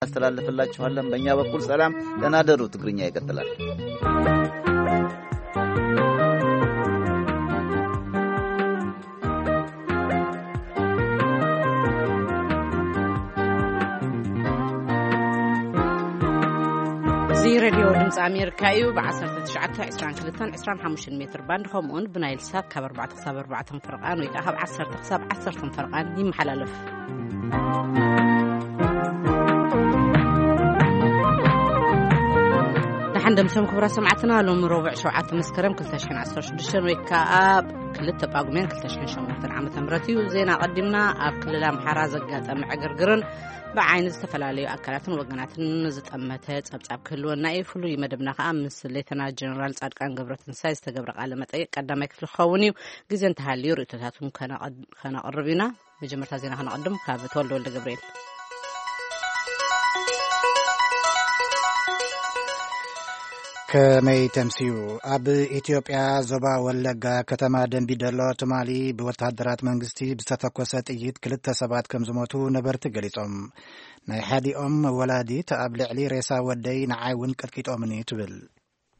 እናስተላልፍላችኋለን። በእኛ በኩል ሰላም፣ ደህና ደሩ። ትግርኛ ይቀጥላል። እዚ ሬድዮ ድምፂ ኣሜሪካ እዩ። ብ1922-25 ሜትር ባንድ፣ ከምኡውን ብናይል ሳት ካብ ኣርባዕተ ክሳብ ኣርባዕተ ፈርቓን ወይ ከዓ ካብ ዓሰርተ ክሳብ ዓሰርተ ፈርቓን ይመሓላለፍ። ደሓን ደምሰም ክቡራት ሰማዕትና፣ ሎሚ ረቡዕ ሸውዓተ መስከረም ክልተ ሽሕን ዓሰርተ ሽዱሽተን ወይ ከዓ ክልተ ጳጉሜን ክልተ ሽሕን ሸሞንተን ዓመተ ምህረት እዩ። ዜና ኣቐዲምና። ኣብ ክልል ኣምሓራ ዘጋጠመ ዕግርግርን ብዓይኒ ዝተፈላለዩ ኣካላትን ወገናትን ዝጠመተ ጸብጻብ ክህልወና እዩ። ፍሉይ መደብና ከዓ ምስ ሌተና ጀነራል ጻድቃን ገብረትንሳይ ዝተገብረ ቃለ መጠይቅ ቀዳማይ ክፍሊ ክኸውን እዩ። ግዜ እንተሃልዩ ርእይቶታቱን ከነቐድ-፣ ከነቕርብ ኢና። መጀመርታ ዜና ከነቐድም ካብ ተወልደ ወልደ ገብርኤል። ከመይ ተምስዩ? ኣብ ኢትዮጵያ ዞባ ወለጋ ከተማ ደንቢ ዶሎ ትማሊ ብወተሃደራት መንግስቲ ብዝተተኮሰ ጥይት ክልተ ሰባት ከም ዝሞቱ ነበርቲ ገሊጾም። ናይ ሓዲኦም ወላዲት ኣብ ልዕሊ ሬሳ ወደይ ንዓይ እውን ቀጥቂጦምኒ ትብል።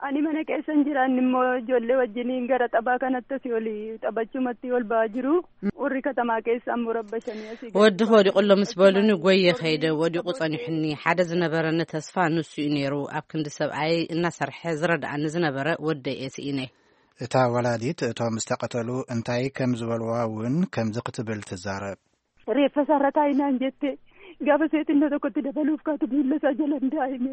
Ani mana keessan jiraan immoo ijoollee wajjiniin gara taphaa kanatti asii oli taphachumatti ol ba'aa jiru. Warri katamaa keessa ammoo rabbashanii asii gadi. ወዲ ከወዲቑ ኣሎ ምስ በሉኒ፣ ጎየ ከይደ፣ ወዲቑ ጸኒሑኒ። ሓደ ዝነበረኒ ተስፋ ንሱ እዩ ነይሩ። ኣብ ክንዲ ሰብኣይ እናሰርሐ ዝረድኣኒ ዝነበረ ወደይ እየ ስኢነ። እታ ወላዲት እቶም ዝተቐተሉ እንታይ ከም ዝበልዋ እውን ከምዚ ክትብል ትዛረብ። Reeffa isaarra taa'inaan jette gaafa seetinna tokkotti dabaluuf kaatu miilla isaa jala hin daa'ime.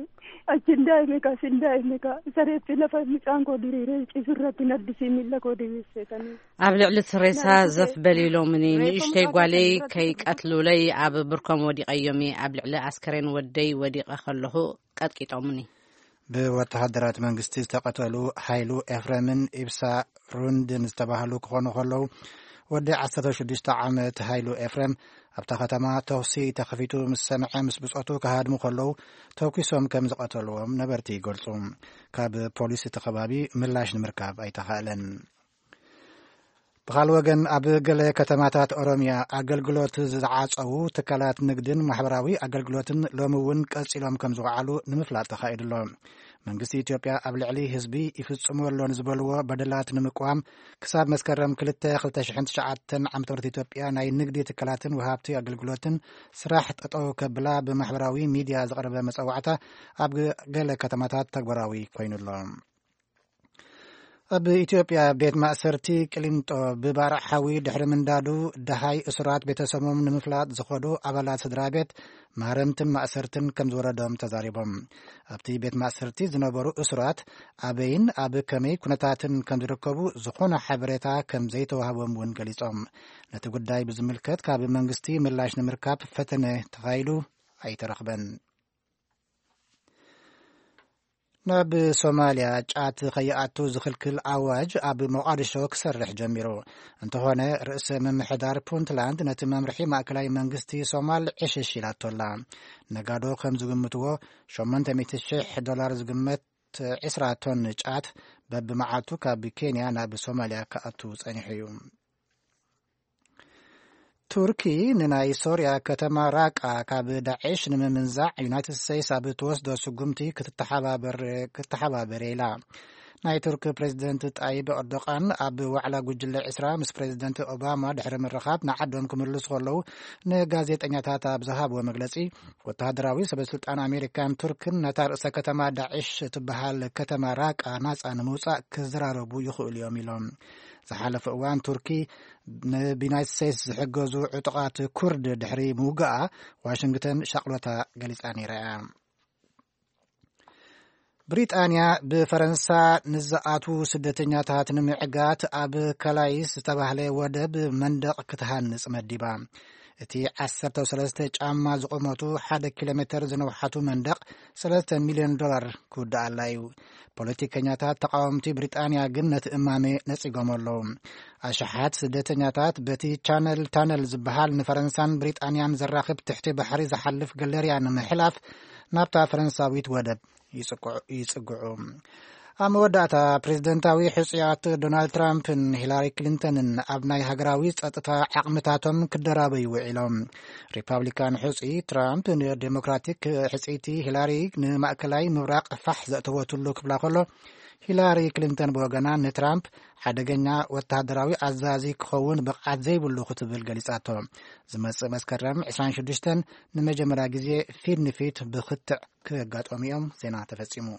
Achi hin daa'ime kaas hin daa'ime kaa. Isa reeffi lafa mucaan koo diriiree ciisurratti naddisii miilla koo diriirsee kanii. ኣብ ልዕሊ እቲ ሬሳ ዘፍ በል ኢሎምኒ፣ ንእሽተይ ጓለይ ከይቀትሉለይ ኣብ ብርኮም ወዲቐዮም እየ። ኣብ ልዕሊ ኣስከሬን ወደይ ወዲቐ ከለኹ ቀጥቂጦምኒ። ብወተሃደራት መንግስቲ ዝተቐተሉ ሃይሉ ኤፍረምን ኢብሳ ሩንድን ዝተባህሉ ክኾኑ ከለዉ፣ ወዲ ዓሰርተ ሽዱሽተ ዓመት ሃይሉ ኤፍረም ኣብታ ከተማ ተኹሲ ተኸፊቱ ምስ ሰምዐ፣ ምስ ብጾቱ ክሃድሙ ከለዉ ተኩሶም ከም ዝቐተልዎም ነበርቲ ይገልጹ። ካብ ፖሊስ እቲ ከባቢ ምላሽ ንምርካብ ኣይተኻእለን። ብኻል ወገን፣ ኣብ ገለ ከተማታት ኦሮምያ ኣገልግሎት ዝዓጸዉ ትካላት ንግድን ማሕበራዊ ኣገልግሎትን ሎሚ እውን ቀጺሎም ከም ዝወዓሉ ንምፍላጥ ተኻኢዱ ኣሎ። መንግስቲ ኢትዮጵያ ኣብ ልዕሊ ህዝቢ ይፍጽሞ ኣሎ ንዝበልዎ በደላት ንምቅዋም፣ ክሳብ መስከረም ክልተ ክልተ ሽሕን ትሽዓተን ዓመተ ምህረት ኢትዮጵያ ናይ ንግዲ ትካላትን ወሃብቲ ኣገልግሎትን ስራሕ ጠጠው ከብላ ብማሕበራዊ ሚድያ ዝቐረበ መጸዋዕታ ኣብ ገለ ከተማታት ተግባራዊ ኮይኑ ኣሎ። ኣብ ኢትዮጵያ ቤት ማእሰርቲ ቅሊንጦ ብባርዕ ሓዊ ድሕሪ ምንዳዱ፣ ደሃይ እሱራት ቤተሰቦም ንምፍላጥ ዝኸዱ ኣባላት ስድራ ቤት ማረምትን ማእሰርትን ከም ዝወረዶም ተዛሪቦም። ኣብቲ ቤት ማእሰርቲ ዝነበሩ እሱራት ኣበይን ኣብ ከመይ ኩነታትን ከም ዝርከቡ ዝኾነ ሓበሬታ ከም ዘይተዋህቦም እውን ገሊጾም። ነቲ ጉዳይ ብዝምልከት ካብ መንግስቲ ምላሽ ንምርካብ ፈተነ ተኻይዱ ኣይተረኽበን። ናብ ሶማልያ ጫት ከይኣቱ ዝኽልክል ኣዋጅ ኣብ ሞቓዲሾ ክሰርሕ ጀሚሩ። እንተኾነ፣ ርእሰ ምምሕዳር ፑንትላንድ ነቲ መምርሒ ማእከላይ መንግስቲ ሶማል ዕሽሽ ኢላቶ ኣላ። ነጋዶ ከም ዝግምትዎ፣ ሸሞንተ ሚእቲ ሽሕ ዶላር ዝግመት ዕስራ ቶን ጫት በብመዓልቱ ካብ ኬንያ ናብ ሶማልያ ክኣቱ ጸኒሑ እዩ። ቱርኪ ንናይ ሶርያ ከተማ ራቃ ካብ ዳዕሽ ንምምንዛዕ ዩናይትድ ስቴትስ ኣብ እትወስዶ ስጉምቲ ክትተሓባበር፣ ክትተሓባበር ኢላ። ናይ ቱርኪ ፕሬዚደንት ጣይብ ኤርዶቃን ኣብ ዋዕላ ጉጅለ ዕስራ ምስ ፕሬዚደንት ኦባማ ድሕሪ ምርኻብ ንዓዶም ክምልሱ ከለዉ ንጋዜጠኛታት ኣብ ዝሃብዎ መግለጺ፣ ወተሃደራዊ ሰበስልጣን ኣሜሪካን ቱርክን ነታ ርእሰ ከተማ ዳዕሽ እትበሃል ከተማ ራቃ ናጻ ንምውጻእ ክዘራረቡ ይኽእሉ እዮም ኢሎም። ዝሓለፈ እዋን ቱርኪ ንብናይት ስቴትስ ዝሕገዙ ዕጡቓት ኩርድ ድሕሪ ምውጋኣ ዋሽንግተን ሻቕሎታ ገሊጻ ነይራ እያ። ብሪጣንያ ብፈረንሳ ንዝኣትዉ ስደተኛታት ንምዕጋት ኣብ ካላይስ ዝተባህለ ወደብ መንደቕ ክትሃንጽ መዲባ። እቲ ዓሰርተ ሰለስተ ጫማ ዝቑመቱ ሓደ ኪሎ ሜተር ዝነውሓቱ መንደቕ ሰለስተ ሚልዮን ዶላር ክውድኣላ እዩ። ፖለቲከኛታት ተቃወምቲ ብሪጣንያ ግን ነቲ እማመ ነጺጎም ኣለዉ። ኣሽሓት ስደተኛታት በቲ ቻነል ታነል ዝበሃል ንፈረንሳን ብሪጣንያን ዘራኽብ ትሕቲ ባሕሪ ዝሓልፍ ገለርያ ንምሕላፍ ናብታ ፈረንሳዊት ወደብ ይጽግዑ፣ ይጽግዑ። ኣብ መወዳእታ፣ ፕሬዝደንታዊ ሕጹያት ዶናልድ ትራምፕን ሂላሪ ክሊንተንን ኣብ ናይ ሃገራዊ ጸጥታ ዓቕምታቶም ክደራበዩ ውዒሎም። ሪፓብሊካን ሕጹይ ትራምፕ ንዴሞክራቲክ ሕጽይቲ ሂላሪ ንማእከላይ ምብራቕ ፋሕ ዘእተወትሉ ክብላ ከሎ፣ ሂላሪ ክሊንተን ብወገና ንትራምፕ ሓደገኛ ወተሃደራዊ ኣዛዚ ክኸውን ብቕዓት ዘይብሉ ክትብል ገሊጻቶ። ዝመጽእ መስከረም ዕስራን ሽዱሽተን ንመጀመርያ ግዜ ፊት ንፊት ብክትዕ ክጋጠሙ እዮም። ዜና ተፈጺሙ።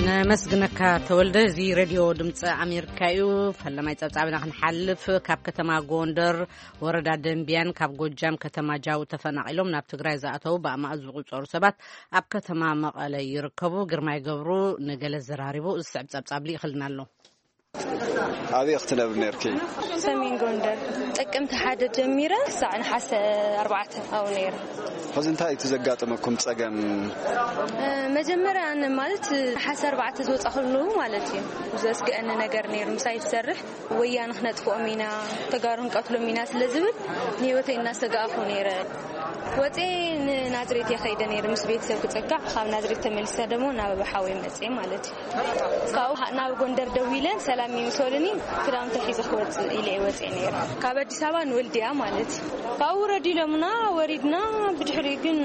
ነመስግነካ ተወልደ። እዚ ሬድዮ ድምፂ ኣሜሪካ እዩ። ፈለማይ ፀብፃብና ክንሓልፍ፣ ካብ ከተማ ጎንደር ወረዳ ደንቢያን ካብ ጎጃም ከተማ ጃዊ ተፈናቒሎም ናብ ትግራይ ዝኣተው ብኣማእት ዝቑፀሩ ሰባት ኣብ ከተማ መቐለ ይርከቡ። ግርማይ ገብሩ ንገለ ዘራሪቡ ዝስዕብ ፀብፃብ ልኢኽልና ኣሎ። ኣበይ ክትነብሪ ነርኪ? ሰሜን ጎንደር። ጥቅምቲ ሓደ ጀሚረ ክሳዕ ነሓሰ ኣርባዕተ ኣብኡ ነይረ። ሕዚ እንታይ እቲ ዘጋጠመኩም ጸገም? እ፣ መጀመርያ ኣነ ማለት ነሓሰ ኣርባዕተ ዝወጻ ከለዉ ማለት እዩ፣ ዘስግአኒ ነገር ነይሩ። ምሳይ ትሰርሕ ወያነ ክነጥፍኦም ኢና፣ ተጋሩ ንቀትሎም ኢና ስለ ዝብል ንህይወተይ እናሰጋእኹ ነይረ። ወጼ ንናዝሬት እየ ከይደ ነይረ ምስ ቤተሰብ ክጸጋዕ፣ ካብ ናዝሬት ተመሊሰ ደግሞ ናብ ሓወይ መጼ ማለት እዩ። ካብኡ ናብ ጎንደር ደዊለን ሰላም ይምሰሉኒ፣ ክዳውንቲ ሒዘ ክወፅእ ኢለ እየ ወፅየ ነይረ። ካብ ኣዲስ ኣበባ ንወልድያ ማለት እዩ። ካብኡ ውረድ ኢሎምና፣ ወሪድና። ብድሕሪኡ ግን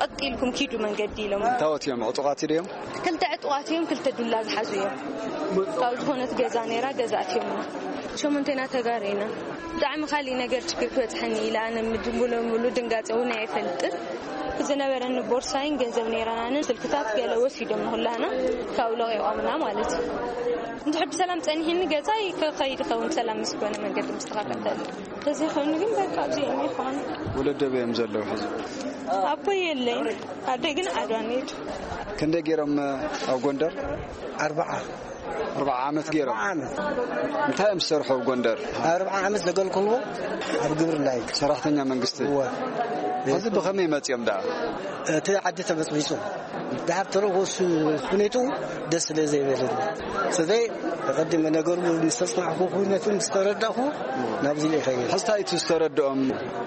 ቀጥ ኢልኩም ኪዱ መንገዲ ኢሎም። እንታወት እዮም? ዕጡቓት ድዮም? ክልተ ዕጡቓት እዮም፣ ክልተ ዱላ ዝሓዙ እዮም። ካብ ዝኾነት ገዛ ነይራ፣ ገዛ ኣትዮምና። ሸሞንቴና ተጋሩ ኢና። ብጣዕሚ ካሊእ ነገር ችግር ክበፅሐኒ ኢለ ኣነ ምድ-፣ ሙሉ ሙሉ ድንጋፀ እውን ኣይፈልጥን። ዝነበረኒ ቦርሳይን ገንዘብ ነይራናንን ስልክታት ገለ ወሲዶም ንኹላና ካብኡ ለቒቖምና ማለት እዩ። እንድሕር ብሰላም ጸኒሕኒ ገዛይ ክኸይድ ይኸውን፣ ሰላም ምስ ኮነ መንገዲ ምስተኸፈተሉ። ተዘይኮይኑ ግን በቃ ኣብዚኦም ይኾኑ። ወለዶ በዮም ዘለዉ ሕዚ? ኣቦይ የለይን፣ ኣደይ ግን ዓድዋ ነይሩ። ክንደይ ገይሮም ኣብ ጎንደር? ኣርባዓ። ኣርባዓ ዓመት ገይሮም። ኣርባዓ ዓመት። እንታይ እዮም ዝሰርሑ ኣብ ጎንደር? ኣርባዓ ዓመት ዘገልግልዎ ኣብ ግብርና እዩ። ሰራሕተኛ መንግስቲ? እወ። ሕዚ ብኸመይ መጺኦም ደኣ? እቲ ዓዲ ተበጽቢጹ። ደሓር ተረፎ እሱ ሁኔትኡ ደስ ስለ ዘይበለኒ። ስለዚ ተቐዲመ ነገሩ ምስ ተጽናዕኩ፣ ኩነቱ ምስ ተረዳእኩ፣ ናብዚ ኢለ ይኸይድ። ሕዚ እንታይ እቲ ዝተረድኦም?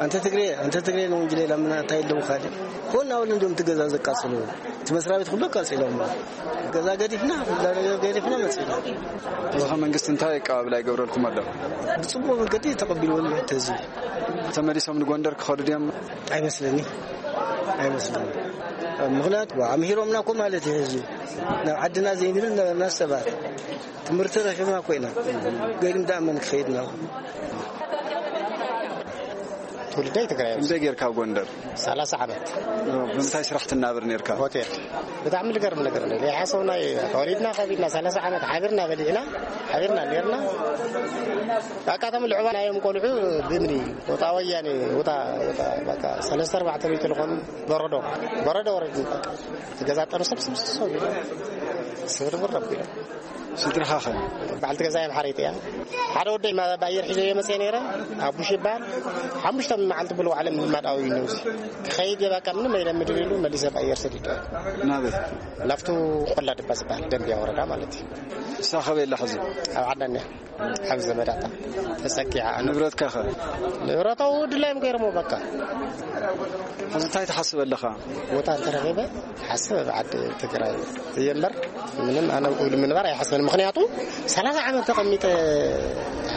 ኣንተ ትግሬ፣ ኣንተ ትግሬ ነው እንጂ ሌላ ምን እንታይ ኣለዎ ካልእ? ኮን ኣሁን እንደውም ትገዛ ዘቃጽሉ። እቲ መስሪያ ቤት ኩሉ ኣቃጺሎም። ገዛ ገዲፍና፣ ኩላ ነገር ገዲፍና መጺና። ሕዚ ኸ መንግስቲ እንታይ ኣቀባብላ ይገብረልኩም ኣሎ? ብጽቡቕ መንገዲ ተቐቢልዎም እዩ እቲ ህዝቢ። ተመሊሶም ንጎንደር ክኸዱ ድዮም? ኣይመስለኒ፣ ኣይመስለኒ። ምኽንያቱ ኣምሂሮምና እኮ ማለት እዩ ህዝቢ። ናብ ዓድና ዘይንብል ነበርና ሰባት። ትምህርቲ ረኺብና እኮ ኢና። ገሊም ደኣ መን ክኸይድ ናብ ትውልደይ ትግራይ እዮም። ክንደይ ጌርካ ኣብ ጎንደር? ሰላሳ ዓመት። ብምንታይ ስራሕ ትናበር ኔርካ? ሆቴል። ብጣዕሚ ልገርም ነገር እንደ ዘይሓሰብና እዩ። ተወሊድና ከቢድና ሰላሳ ዓመት ሓቢርና በሊዕና፣ ሓቢርና ኔርና። በቃ እቶም ልዕባ ናዮም ቆልዑ ብምኒ፣ ወጣ ወያኔ፣ ወጣ፣ ወጣ፣ በቃ ሰለስተ ኣርባዕተ ሚእቲ ልኾኑ በረዶ፣ በረዶ ወረድ። በቃ እቲ ገዛ ጠኑ ሰብ፣ ሰብ፣ ሰብ፣ ሰብ ኢሉ ስብርብር ኣቢሉ። ስድራኻ ኸ? በዓልቲ ገዛይ ኣምሓረይቲ እያ። ሓደ ወደይ ማ-፣ ብኣየር ሒዘዮ መፅየ ነይረ፣ ኣቡሽ ይበሃል። ሓሙሽተ መዓልቲ ብሎ ዓለም ምማድ ኣውዩ ነውሲ። ክኸይድ እየ፣ በቃ ምንም ኣይለምድን ኢሉ መሊሰ ብኣየር ሰዲደ። ናበይ? ናብቱ ቆላ ድባ ዝበሃል ደንብያ ወረዳ ማለት እዩ። እሳ ኸበይ ኣላ ሕዚ? ኣብ ዓዳን እያ። ኣብ ዘመዳታ ተፀጊዓ። ንብረትካ ኸ? ንብረታው ድላዮም ገይሮሞ በቃ። ሕዚ እንታይ ትሓስብ ኣለኻ? ቦታ እንተረኺበ ሓስብ ኣብ ዓዲ ትግራይ እየ እምበር፣ ምንም ኣነ ብኡ ንምንባር ኣይሓስብን። ምኽንያቱ ሰላሳ ዓመት ተቐሚጠ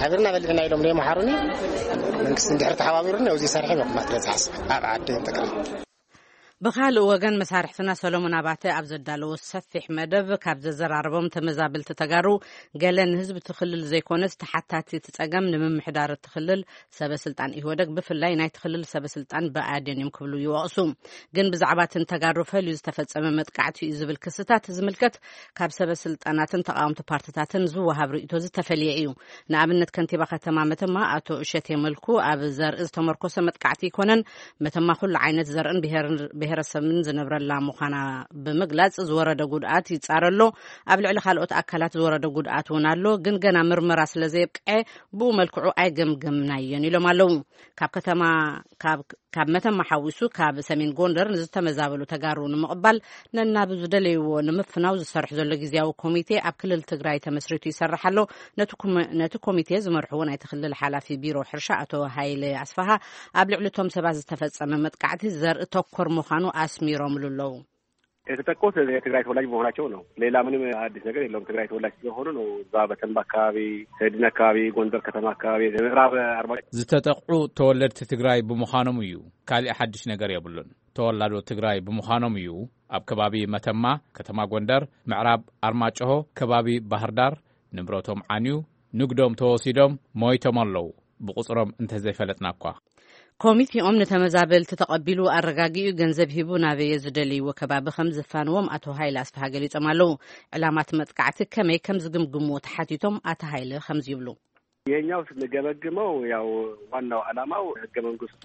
ሓቢርና በሊዕና ኢሎም ዘይመሓሩኒ፣ መንግስቲ እንድሕር ተሓባቢሩኒ ኣብዚ ሰርሐ መቕማጥ እየ ዝሓስብ ኣብ ዓዲ ትግራይ። ብኻልእ ወገን፣ መሳርሕትና ሰሎሞን ኣባተ ኣብ ዘዳለዎ ሰፊሕ መደብ፣ ካብ ዘዘራረቦም ተመዛበልቲ ተጋሩ፣ ገለ ንህዝቢ እቲ ክልል ዘይኮነስ፣ ተሓታቲ እቲ ጸገም ንምምሕዳር እቲ ክልል ሰበ ስልጣን ኢህወደግ፣ ብፍላይ ናይቲ ክልል ሰበ ስልጣን ብኣዴን እዮም ክብሉ ይወቕሱ። ግን ብዛዕባ እቲ ንተጋሩ ፈልዩ ዝተፈጸመ መጥቃዕቲ እዩ ዝብል ክስታት ዝምልከት፣ ካብ ሰበ ስልጣናትን ተቓወምቲ ፓርትታትን ዝወሃብ ርእይቶ ዝተፈልየ እዩ። ንኣብነት፣ ከንቲባ ከተማ መተማ ኣቶ እሸቴ መልኩ ኣብ ዘርኢ ዝተመርኮሰ መጥቃዕቲ ኣይኮነን፣ መተማ ኩሉ ዓይነት ዘርእን ብሄር-፣ ብሄረሰብን ዝነብረላ ምዃና ብምግላጽ፣ ዝወረደ ጉድኣት ይጻረ ኣሎ። ኣብ ልዕሊ ካልኦት ኣካላት ዝወረደ ጉድኣት እውን ኣሎ፣ ግን ገና ምርመራ ስለ ዘየብቅዐ ብኡ መልክዑ ኣይገምገምናዮን ኢሎም ኣለዉ። ካብ ከተማ፣ ካብ ካብ መተማ ሓዊሱ ካብ ሰሜን ጎንደር ንዝተመዛበሉ ተጋሩ ንምቕባል ነናብ ዝደለይዎ ንምፍናው ዝሰርሕ ዘሎ ግዝያዊ ኮሚቴ ኣብ ክልል ትግራይ ተመስሪቱ ይሰርሕ ኣሎ። ነቲ ኮመ- ነቲ ኮሚቴ ዝመርሕዎ ናይቲ ክልል ሓላፊ ቢሮ ሕርሻ ኣቶ ሃይለ ኣስፋሃ ኣብ ልዕሊ እቶም ሰባት ዝተፈጸመ መጥቃዕቲ ዘርኢ ተኮር ምዃኑ ኣስሚሮምሉ ኣለዉ። የተጠቁት የትግራይ ተወላጅ መሆናቸው ነው። ሌላ ምንም አዲስ ነገር የለውም። ትግራይ ተወላጅ ስለሆኑ ነው። እዛ በተንባ አካባቢ፣ ሰድን አካባቢ፣ ጎንደር ከተማ አካባቢ፣ ምዕራብ አርባ ዝተጠቕዑ ተወለድቲ ትግራይ ብምዃኖም እዩ። ካሊእ ሓድሽ ነገር የብሉን። ተወላዶ ትግራይ ብምዃኖም እዩ። ኣብ ከባቢ መተማ፣ ከተማ ጎንደር፣ ምዕራብ ኣርማጭሆ፣ ከባቢ ባህርዳር ንብረቶም ዓንዩ፣ ንግዶም ተወሲዶም፣ ሞይቶም ኣለዉ። ብቑፅሮም እንተዘይፈለጥና እኳ። ኮሚቴኦም ንተመዛበልቲ ተቐቢሉ ኣረጋጊኡ ገንዘብ ሂቡ ናበየ ዝደልይዎ ከባቢ ከም ዝፋንዎም ኣቶ ሃይለ ኣስፍሃ ገሊጾም ኣለዉ። ዕላማ እቲ መጥቃዕቲ ከመይ ከም ዝግምግምዎ ተሓቲቶም ኣቶ ሃይለ ከምዚ ይብሉ። ይሄኛው ስንገመግመው ያው ዋናው ዓላማው ህገ መንግስቱ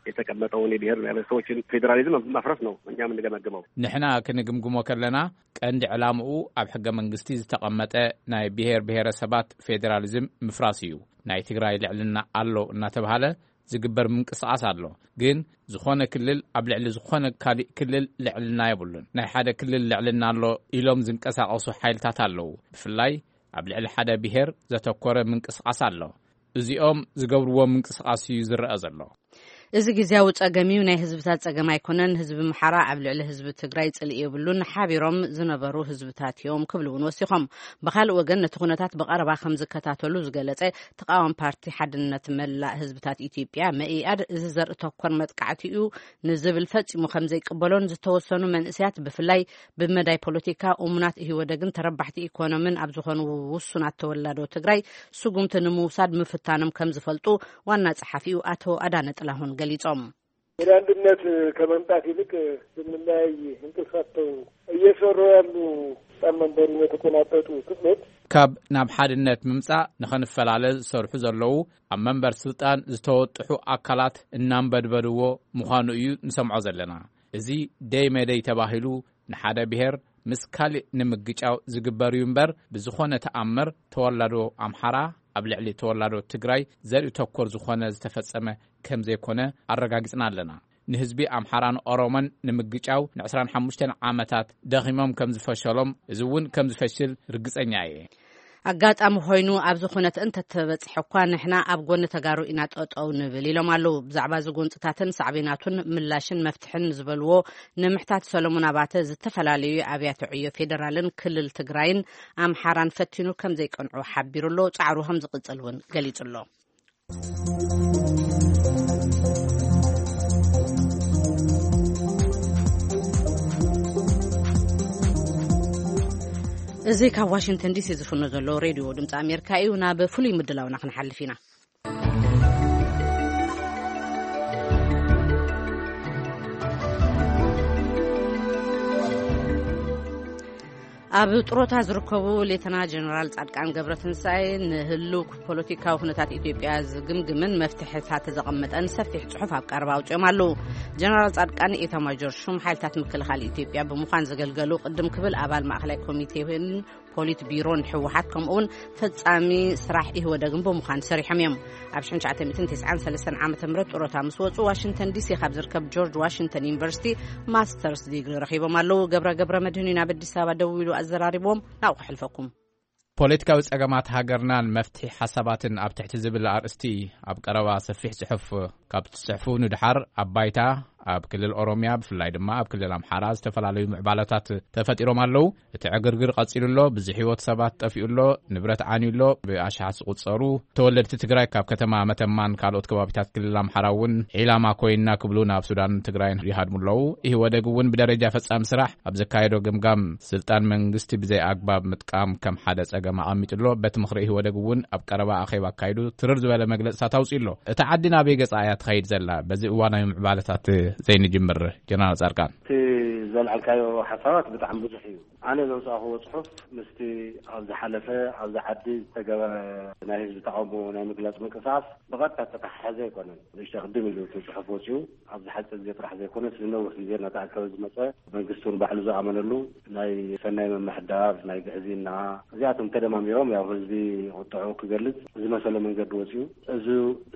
የተቀመጠውን የብሔር ብሔረሰቦችን ፌዴራሊዝም ማፍረስ ነው። እኛ የምንገመግመው ንሕና ክንግምግሞ ከለና ቀንዲ ዕላምኡ ኣብ ሕገ መንግስቲ ዝተቐመጠ ናይ ብሔር ብሔረሰባት ፌዴራሊዝም ምፍራስ እዩ። ናይ ትግራይ ልዕልና ኣሎ እናተባሃለ ዝግበር ምንቅስቃስ ኣሎ። ግን ዝኾነ ክልል ኣብ ልዕሊ ዝኾነ ካሊእ ክልል ልዕልና የብሉን። ናይ ሓደ ክልል ልዕልና ኣሎ ኢሎም ዝንቀሳቀሱ ሓይልታት ኣለዉ። ብፍላይ ኣብ ልዕሊ ሓደ ብሔር ዘተኮረ ምንቅስቃስ ኣሎ። እዚኦም ዝገብርዎ ምንቅስቃስ እዩ ዝረኣ ዘሎ። እዚ ግዝያዊ ጸገም እዩ፣ ናይ ህዝብታት ጸገም ኣይኮነን። ህዝቢ ምሓራ ኣብ ልዕሊ ህዝቢ ትግራይ ጽልኢ የብሉን። ሓቢሮም ዝነበሩ ህዝብታት እዮም ክብሉ እውን ወሲኾም። ብኻልእ ወገን ነቲ ኩነታት ብቐረባ ከም ዝከታተሉ ዝገለጸ ተቃዋሚ ፓርቲ ሓድነት መላእ ህዝብታት ኢትዮጵያ መኢኣድ፣ እዚ ዘርኢ ተኮር መጥቃዕቲ እዩ ንዝብል ፈጺሙ ከም ዘይቅበሎን ዝተወሰኑ መንእሰያት ብፍላይ ብመዳይ ፖለቲካ እሙናት ኢህወደግን ተረባሕቲ ኢኮኖምን ኣብ ዝኾኑ ውሱናት ተወላዶ ትግራይ ስጉምቲ ንምውሳድ ምፍታኖም ከም ዝፈልጡ ዋና ጸሓፊኡ ኣቶ ኣዳነ ጥላሁን ገሊጾም። ወደ አንድነት ከመምጣት ይልቅ ስንለያይ እንቅልፍ አጥተው እየሰሩ ያሉ ጣም መንበሩን የተቆናጠጡ ክፍሎች ካብ ናብ ሓድነት ምምጻእ ንኸንፈላለ ዝሰርሑ ዘለዉ ኣብ መንበር ስልጣን ዝተወጥሑ ኣካላት እናንበድበድዎ ምዃኑ እዩ ንሰምዖ ዘለና። እዚ ደይ መደይ ተባሂሉ ንሓደ ብሔር ምስ ካልእ ንምግጫው ዝግበር እዩ እምበር፣ ብዝኾነ ተኣምር ተወላዶ ኣምሓራ ኣብ ልዕሊ ተወላዶ ትግራይ ዘርኢ ተኮር ዝኾነ ዝተፈጸመ ከም ዘይኮነ ኣረጋጊጽና ኣለና። ንህዝቢ ኣምሓራን ኦሮሞን ንምግጫው ንዕስራን ሓሙሽተን ዓመታት ደኺሞም ከም ዝፈሸሎም፣ እዚ እውን ከም ዝፈሽል ርግጸኛ እየ። ኣጋጣሚ ኮይኑ ኣብዚ ኩነት እንተተበፅሐ እኳ ንሕና ኣብ ጎኒ ተጋሩ ኢና ጠጠው ንብል ኢሎም ኣለዉ። ብዛዕባ እዚ ጎንፅታትን ሳዕቤናቱን ምላሽን መፍትሕን ዝበልዎ ንምሕታት ሰሎሞን ኣባተ ዝተፈላለዩ ኣብያተ ዕዮ ፌደራልን ክልል ትግራይን ኣምሓራን ፈቲኑ ከም ዘይቀንዑ ሓቢሩ ኣሎ። ፃዕሩ ከም ዝቕፅል እውን ገሊፁ ኣሎ። እዚ ካብ ዋሽንግተን ዲሲ ዝፍኖ ዘሎ ሬድዮ ድምፂ ኣሜሪካ እዩ። ናብ ፍሉይ ምድላውና ክንሓልፍ ኢና። ኣብ ጥሮታ ዝርከቡ ሌተና ጀነራል ጻድቃን ገብረትንሳኤ ንህሉው ፖለቲካዊ ኩነታት ኢትዮጵያ ዝግምግምን መፍትሕታት ዘቐመጠን ሰፊሕ ጽሑፍ ኣብ ቀረባ ኣውጺኦም ኣለዉ። ጀነራል ጻድቃን ኤታማጆር ሹም ሓይልታት ምክልኻል ኢትዮጵያ ብምዃን ዘገልገሉ ቅድም ክብል ኣባል ማእኸላይ ኮሚቴን ፖሊት ቢሮን ህወሓት ከምኡውን ፈጻሚ ስራሕ ኢህወደግን ብምዃን ሰሪሖም እዮም። ኣብ ሽሕን ትሽዓተ ሚእትን ተስዓን ሰለስተን ዓመተ ምህረት ጥሮታ ምስ ወጹ ዋሽንግተን ዲሲ ካብ ዝርከብ ጆርጅ ዋሽንግተን ዩኒቨርሲቲ ማስተርስ ዲግሪ ረኺቦም ኣለዉ። ገብረ ገብረ መድህን እዩ ናብ ኣዲስ ኣበባ ደዊሉ ኣዘራሪቦም። ናብኡ ክሕልፈኩም። ፖለቲካዊ ጸገማት ሃገርናን መፍትሒ ሓሳባትን ኣብ ትሕቲ ዝብል ኣርእስቲ ኣብ ቀረባ ሰፊሕ ጽሑፍ ካብ ትጽሕፉ ንድሓር ኣብ ባይታ ኣብ ክልል ኦሮምያ ብፍላይ ድማ ኣብ ክልል ኣምሓራ ዝተፈላለዩ ምዕባለታት ተፈጢሮም ኣለዉ። እቲ ዕግርግር ቀጺሉ ኣሎ። ብዙሕ ህይወት ሰባት ጠፊኡ ኣሎ። ንብረት ዓንዩ ኣሎ። ብኣሽሓት ዝቑጸሩ ተወለድቲ ትግራይ ካብ ከተማ መተማን ካልኦት ከባቢታት ክልል ኣምሓራ እውን ዒላማ ኮይንና ክብሉ ናብ ሱዳን ትግራይን ይሃድሙ ኣለዉ። ኢህወደግ እውን ብደረጃ ፈጻሚ ስራሕ ኣብ ዘካየዶ ግምጋም ስልጣን መንግስቲ ብዘይ ኣግባብ ምጥቃም ከም ሓደ ጸገም ኣቐሚጡ ኣሎ። በቲ ምኽሪ ኢህወደግ እውን ኣብ ቀረባ ኣኼባ ኣካይዱ ትርር ዝበለ መግለጽታት ኣውጺኡ ኣሎ። እታ ዓዲ ናበይ ገጻ እያ ትኸይድ ዘላ? በዚ እዋናዊ ምዕባለታት ዘይንጅምር ጀነራል ጻድቃን። እቲ ዘልዓልካዮ ሓሳባት ብጣዕሚ ብዙሕ እዩ። ኣነ ዘውፃእኽዎ ፅሑፍ ምስቲ ኣብ ዝሓለፈ ኣብዚ ዓዲ ዝተገበረ ናይ ህዝቢ ተቃውሞ ናይ ምግላፅ ምንቅስቃስ ብቐጥታ ዝተተሓሓዘ ኣይኮነን። ንእሽቶ ቅድም ኢሉ እቲ ፅሑፍ ወፂኡ ኣብዚ ሓፂር ግዜ ጥራሕ ዘይኮነስ ንነዊሕ ግዜ እናተኣከበ ዝመፀ መንግስቲ እውን ባዕሉ ዝኣመነሉ ናይ ሰናይ ምምሕዳር፣ ናይ ግዕዝይና እዚኣቶም ተደማሚሮም ያው ህዝቢ ቁጥዑ ክገልፅ ዝመሰሎ መንገዲ ወፂኡ። እዚ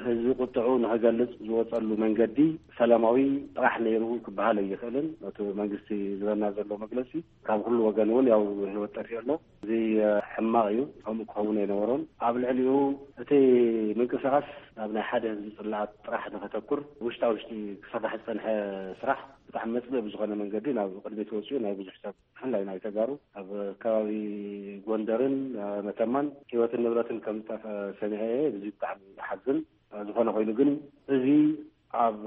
ህዝቢ ቁጥዑ ንክገልፅ ዝወፀሉ መንገዲ ሰላማዊ ጥራሕ ነይሩ ክበሃል ኣይኽእልን። እቲ መንግስቲ ዝበና ዘሎ መግለፂ ካብ ኩሉ ወገን እውን ያው ህይወት ጠፊኡ ኣሎ። እዚ ሕማቕ እዩ። ከምኡ ክኸውን ኣይነበሮን። ኣብ ልዕሊኡ እቲ ምንቅስቃስ ናብ ናይ ሓደ ህዝቢ ፅላኣት ጥራሕ ንከተኩር ውሽጣ ውሽጢ ክስራሕ ዝፀንሐ ስራሕ ብጣዕሚ መፅልኢ ብዝኾነ መንገዲ ናብ ቅድሚት ወፂኡ ናይ ብዙሕ ሰብ ብፍላይ ናይ ተጋሩ ኣብ ከባቢ ጎንደርን መተማን ህይወትን ንብረትን ከም ዝጠፈ ሰሚዐ እየ። እዚ ብጣዕሚ ዝሓዝን ዝኾነ ኮይኑ ግን እዚ ኣብ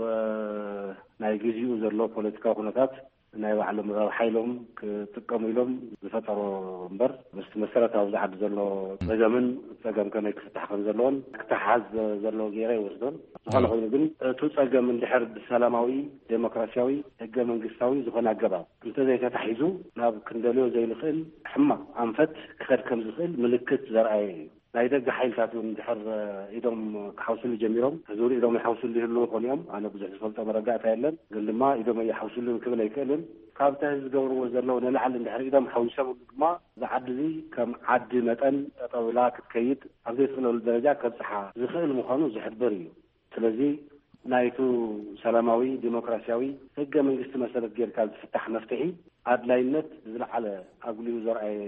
ናይ ግዚኡ ዘሎ ፖለቲካዊ ኩነታት ናይ ባዕሎም ረብሓ ኢሎም ክጥቀሙ ኢሎም ዝፈጠሮ እምበር ምስቲ መሰረታዊ ኣብዚ ዓዲ ዘሎ ፀገምን ፀገም ከመይ ክፍታሕ ከም ዘለዎን ክተሓዝ ዘሎ ገይረ ይወስዶን። ዝኾነ ኮይኑ ግን እቱ ፀገም እንድሕር ብሰላማዊ ዴሞክራሲያዊ ህገ መንግስታዊ ዝኾነ ኣገባብ እንተዘይተታሒዙ ናብ ክንደልዮ ዘይንኽእል ሕማቕ ኣንፈት ክኸድ ከም ዝኽእል ምልክት ዘርኣየ እዩ። ናይ ደገ ሓይልታት እውን ድሕር ኢዶም ክሓውስሉ ጀሚሮም። ሕዚ እውን ኢዶም ይሓውስሉ ይህልዉ ይኾኑ እዮም። ኣነ ብዙሕ ዝፈልጦ መረዳእታ የለን። ግን ድማ ኢዶም ኣይሓውስሉን ክብል ኣይክእልን። ካብቲ ዝገብርዎ ዘለዉ ንላዕሊ እንድሕር ኢዶም ሓዊሶምሉ ድማ እዛ ዓዲ እዚ ከም ዓዲ መጠን ጠጠው ኢላ ክትከይድ ኣብ ዘይትኽእለሉ ደረጃ ከብፅሓ ዝኽእል ምዃኑ ዝሕብር እዩ። ስለዚ ናይቱ ሰላማዊ ዲሞክራሲያዊ ህገ መንግስቲ መሰረት ጌርካ ዝፍታሕ መፍትሒ ኣድላይነት ዝለዓለ ኣጉሊሁ ዘርኣየ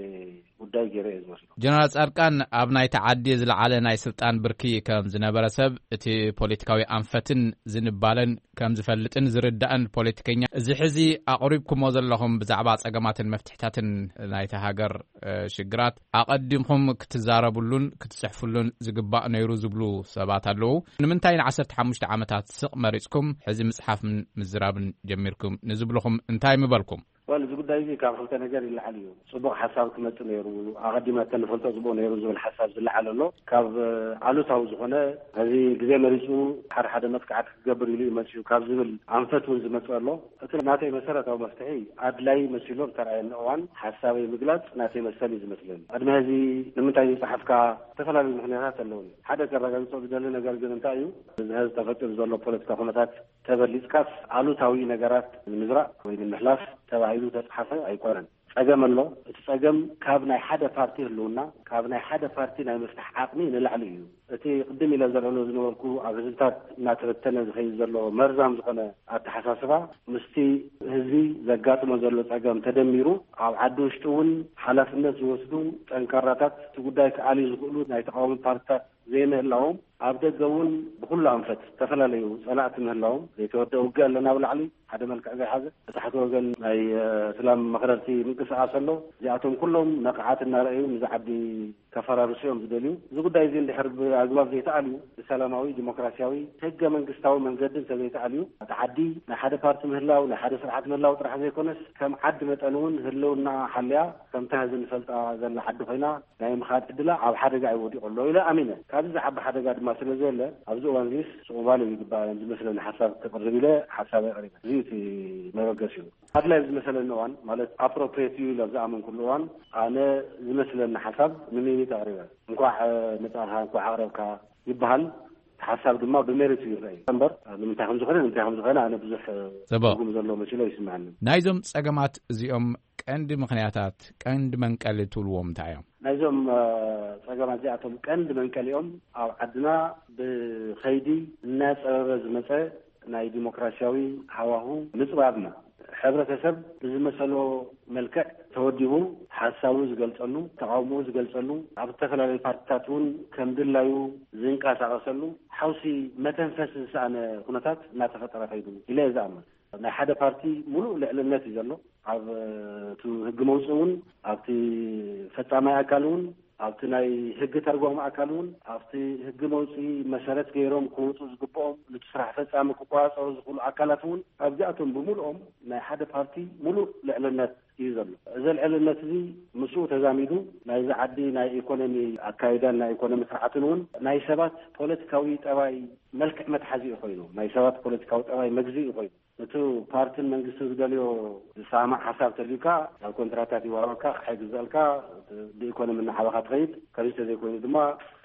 ጉዳይ ገይረ እየ ዝወስዶ። ጀነራል ጻድቃን፣ ኣብ ናይቲ ዓዲ ዝለዓለ ናይ ስልጣን ብርኪ ከም ዝነበረ ሰብ፣ እቲ ፖለቲካዊ ኣንፈትን ዝንባለን ከም ዝፈልጥን ዝርዳእን ፖለቲከኛ፣ እዚ ሕዚ ኣቕሪብኩሞ ዘለኹም ብዛዕባ ጸገማትን መፍትሕታትን ናይቲ ሃገር ሽግራት ኣቐዲምኩም ክትዛረብሉን ክትጽሕፍሉን ዝግባእ ነይሩ ዝብሉ ሰባት ኣለዉ። ንምንታይ ንዓሰርተ ሓሙሽተ ዓመታት ስቕ መሪጽኩም ሕዚ ምጽሓፍን ምዝራብን ጀሚርኩም ንዝብልኹም እንታይ ምበልኩም? ዋል፣ እዚ ጉዳይ እዚ ካብ ክልተ ነገር ይለዓል እዩ። ጽቡቕ ሓሳብ ክመጽእ ነይሩ፣ ኣቐዲመ እንተንፈልጦ ጽቡቕ ነይሩ ዝብል ሓሳብ ዝለዓል ኣሎ። ካብ ኣሉታዊ ዝኾነ፣ ሕዚ ግዜ መሪጹ ሓደ ሓደ መጥቃዕቲ ክገብር ኢሉ እዩ መጺኡ ካብ ዝብል ኣንፈት እውን ዝመጽእ ኣሎ። እቲ ናተይ መሰረታዊ መፍትሒ ኣድላይ መሲሉ ዝተራእየኒ እዋን ሓሳበይ ምግላጽ ናተይ መሰል እዩ ዝመስለኒ። ቅድሚ ሕዚ ንምንታይ ዝጸሓፍካ ዝተፈላለዩ ምኽንያታት ኣለውኒ። ሓደ ከረጋግጾ ዝደሊ ነገር ግን እንታይ እዩ፣ እዚ ሕዚ ተፈጢሩ ዘሎ ፖለቲካ ኩነታት ተበሊጽካስ ኣሉታዊ ነገራት ንምዝራእ ወይ ንምሕላፍ ተባሂሉ ተጻሓፈ ኣይኮነን። ጸገም ኣሎ። እቲ ጸገም ካብ ናይ ሓደ ፓርቲ ህልውና፣ ካብ ናይ ሓደ ፓርቲ ናይ ምፍታሕ ዓቕሚ ንላዕሊ እዩ። እቲ ቅድም ኢለ ዘልዕሎ ዝነበርኩ ኣብ ህዝብታት እናተበተነ ዝኸይድ ዘሎ መርዛም ዝኾነ ኣተሓሳስባ ምስቲ ህዝቢ ዘጋጥሞ ዘሎ ጸገም ተደሚሩ ኣብ ዓዲ ውሽጢ እውን ሓላፍነት ዝወስዱ ጠንካራታት እቲ ጉዳይ ክኣልዩ ዝኽእሉ ናይ ተቃዋሚ ፓርቲታት ዘይምህላዎም፣ ኣብ ደገ እውን ብኹሉ ኣንፈት ዝተፈላለዩ ጸላእቲ ምህላዎም፣ ዘይተወደአ ውግእ ኣለና ኣብ ላዕሊ ሓደ መልክዕ ዘይሓዘ፣ ብታሕቲ ወገን ናይ፣ እ፣ እስላም መኽረርቲ ምንቅስቃስ ኣሎ። እዚኣቶም ኩሎም ነቕዓት እናረኣዩ ንዚ ዓዲ ከፈራርሱ እዮም ዝደልዩ። እዚ ጉዳይ እዚ እንድሕር ብኣግባብ ዘይተኣልዩ፣ ብሰላማዊ ዲሞክራሲያዊ ህገ መንግስታዊ መንገዲ እንተዘይተኣልዩ፣ እቲ ዓዲ ናይ ሓደ ፓርቲ ምህላው፣ ናይ ሓደ ስርዓት ምህላው ጥራሕ ዘይኮነስ ከም ዓዲ መጠን እውን ህልውና ሓልያ ከምታ ሕዚ ንፈልጣ ዘላ ዓዲ ኮይና ናይ ምኻድ ዕድላ ኣብ ሓደጋ እዩ ወዲቑ ኣሎ ኢለ ኣሚነ። ካብዚ ዝዓቢ ሓደጋ ድማ ስለ ዘየለ ኣብዚ እዋን እዚስ ስቑባል እዩ ዝግባእ ዝመስለኒ ሓሳብ ክቕርብ ኢለ ሓሳብ ኣቕሪበ። እዚ እቲ መበገሲኡ ኣድላይ ዝመሰለኒ እዋን ማለት ኣፕሮፕሬት እዩ ኢለ ኣብ ዝኣመንኩሉ እዋን ኣነ ዝመስለኒ ሓሳብ ንሚኒት ኣቕሪበ። እንኳዕ መጻእኻ እንኳዕ ኣቕረብካ ይበሃል። ሓሳብ ድማ ብሜሪት እዩ ይረኣይ እምበር ንምንታይ ከም ዝኾነ ንምንታይ ከም ዝኾነ ኣነ ብዙሕ ጽቡቕ። ትርጉም ዘለዎ መሲሎ ይስምዓኒ። ናይዞም ጸገማት እዚኦም ቀንዲ ምኽንያታት፣ ቀንዲ መንቀሊ ትብልዎም እንታይ እዮም? ናይዞም፣ እ፣ ጸገማት እዚኣቶም ቀንዲ መንቀሊኦም ኣብ ዓድና ብኸይዲ እናጸበበ ዝመጸ ናይ ዲሞክራሲያዊ ሃዋሁ ምጽባብና፣ ሕብረተሰብ ብዝመሰሎ መልክዕ ተወዲቡ ሓሳቡ ዝገልጸሉ፣ ተቃውሞኡ ዝገልጸሉ፣ ኣብ ዝተፈላለዩ ፓርቲታት እውን ከም ድላዩ ዝንቀሳቐሰሉ ሓውሲ መተንፈሲ ዝሰኣነ ኩነታት እናተፈጠረ ከይዱ ኢለ እየ ዝኣምን። ናይ ሓደ ፓርቲ ሙሉእ ልዕልነት እዩ ዘሎ። ኣብ፣ እ፣ እቲ ህጊ መውፅኢ እውን፣ ኣብቲ ፈጻማይ ኣካል እውን፣ ኣብቲ ናይ ህጊ ተርጓሚ ኣካል እውን፣ ኣብቲ ህጊ መውፅኢ መሰረት ገይሮም ክወፁ ዝግብኦም፣ ነቲ ስራሕ ፈጻሚ ክቆፃፀሩ ዝኽእሉ ኣካላት እውን፣ ኣብዚኣቶም ብምሉኦም ናይ ሓደ ፓርቲ ሙሉእ ልዕልነት እዩ ዘሎ። እዚ ልዕልነት እዚ ምስኡ ተዛሚዱ ናይዚ ዓዲ ናይ ኢኮኖሚ ኣካይዳን ናይ ኢኮኖሚ ስርዓትን እውን ናይ ሰባት ፖለቲካዊ ጠባይ መልክዕ መትሓዚ እዩ ኮይኑ፣ ናይ ሰባት ፖለቲካዊ ጠባይ መግዚ እዩ ኮይኑ። እቲ ፓርትን መንግስትን ዝደልዮ ዝሰማማዕ ሓሳብ ተልዩካ፣ ናብ ኮንትራታት ይዋሃበካ፣ ክሓይ ግዘልካ፣ ብኢኮኖሚ እናዓበኻ ትኸይድ። ከምዚ ተዘይኮይኑ ድማ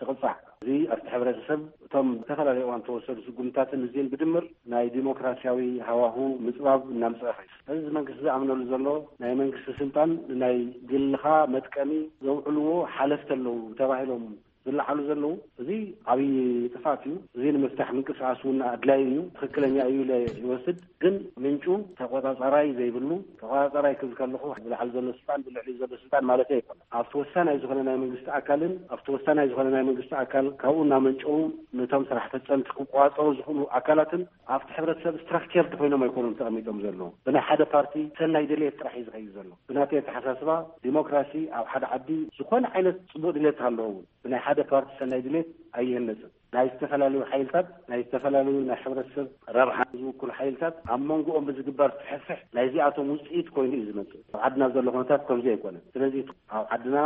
ትቕፃዕ። እዚ ኣብቲ ሕብረተሰብ እቶም ዝተፈላለዩ እዋን ተወሰዱ ስጉምታትን እዚን ብድምር ናይ ዲሞክራሲያዊ ሃዋሁ ምፅባብ እናምፅአ ኸይድ። እዚ መንግስቲ ዝኣምነሉ ዘሎ ናይ መንግስቲ ስልጣን ናይ ግልኻ መጥቀሚ ዘውዕልዎ ሓለፍቲ ኣለዉ ተባሂሎም ዝለዓሉ ዘለዉ፣ እዚ ዓብዪ ጥፋት እዩ። እዚ ንምፍታሕ ምንቅስቃስ እውን ኣድላይ እዩ፣ ትኽክለኛ እዩ ኢለ ይወስድ። ግን ምንጩ ተቆጻጻራይ ዘይብሉ፣ ተቆጻጻራይ ክብል ከለኹ ብላዕሊ ዘሎ ስልጣን ብልዕሊ ዘሎ ስልጣን ማለት ኣይኮነ። ኣብቲ ወሳናይ ዝኾነ ናይ መንግስቲ ኣካልን ኣብቲ ወሳናይ ዝኾነ ናይ መንግስቲ ኣካል ካብኡ እናመንጨው ነቶም ስራሕ ፈጸምቲ ክቆጻጸሩ ዝኽእሉ ኣካላትን ኣብቲ ሕብረተሰብ ስትራክቸር ኮይኖም ኣይኮኑም ተቐሚጦም ዘለዉ። ብናይ ሓደ ፓርቲ ሰናይ ድሌት ጥራሕ እዩ ዝኸይድ ዘሎ። ብናተይ ኣተሓሳስባ ዲሞክራሲ ኣብ ሓደ ዓዲ ዝኾነ ዓይነት ጽቡቕ ድሌት ኣለዎ እውን ብናይ ሓደ ፓርቲ ሰናይ ድሌት ኣይህነጽን። ናይ ዝተፈላለዩ ሓይልታት ናይ ዝተፈላለዩ ናይ ሕብረተሰብ ረብሓ ዝውክሉ ሓይልታት ኣብ መንጎኦም ብዝግበር ፍሕፍሕ ናይዚኣቶም ውፅኢት ኮይኑ እዩ ዝመፅእ። ኣብ ዓድና ዘሎ ኩነታት ከምዚ ኣይኮነን። ስለዚ ኣብ ዓድና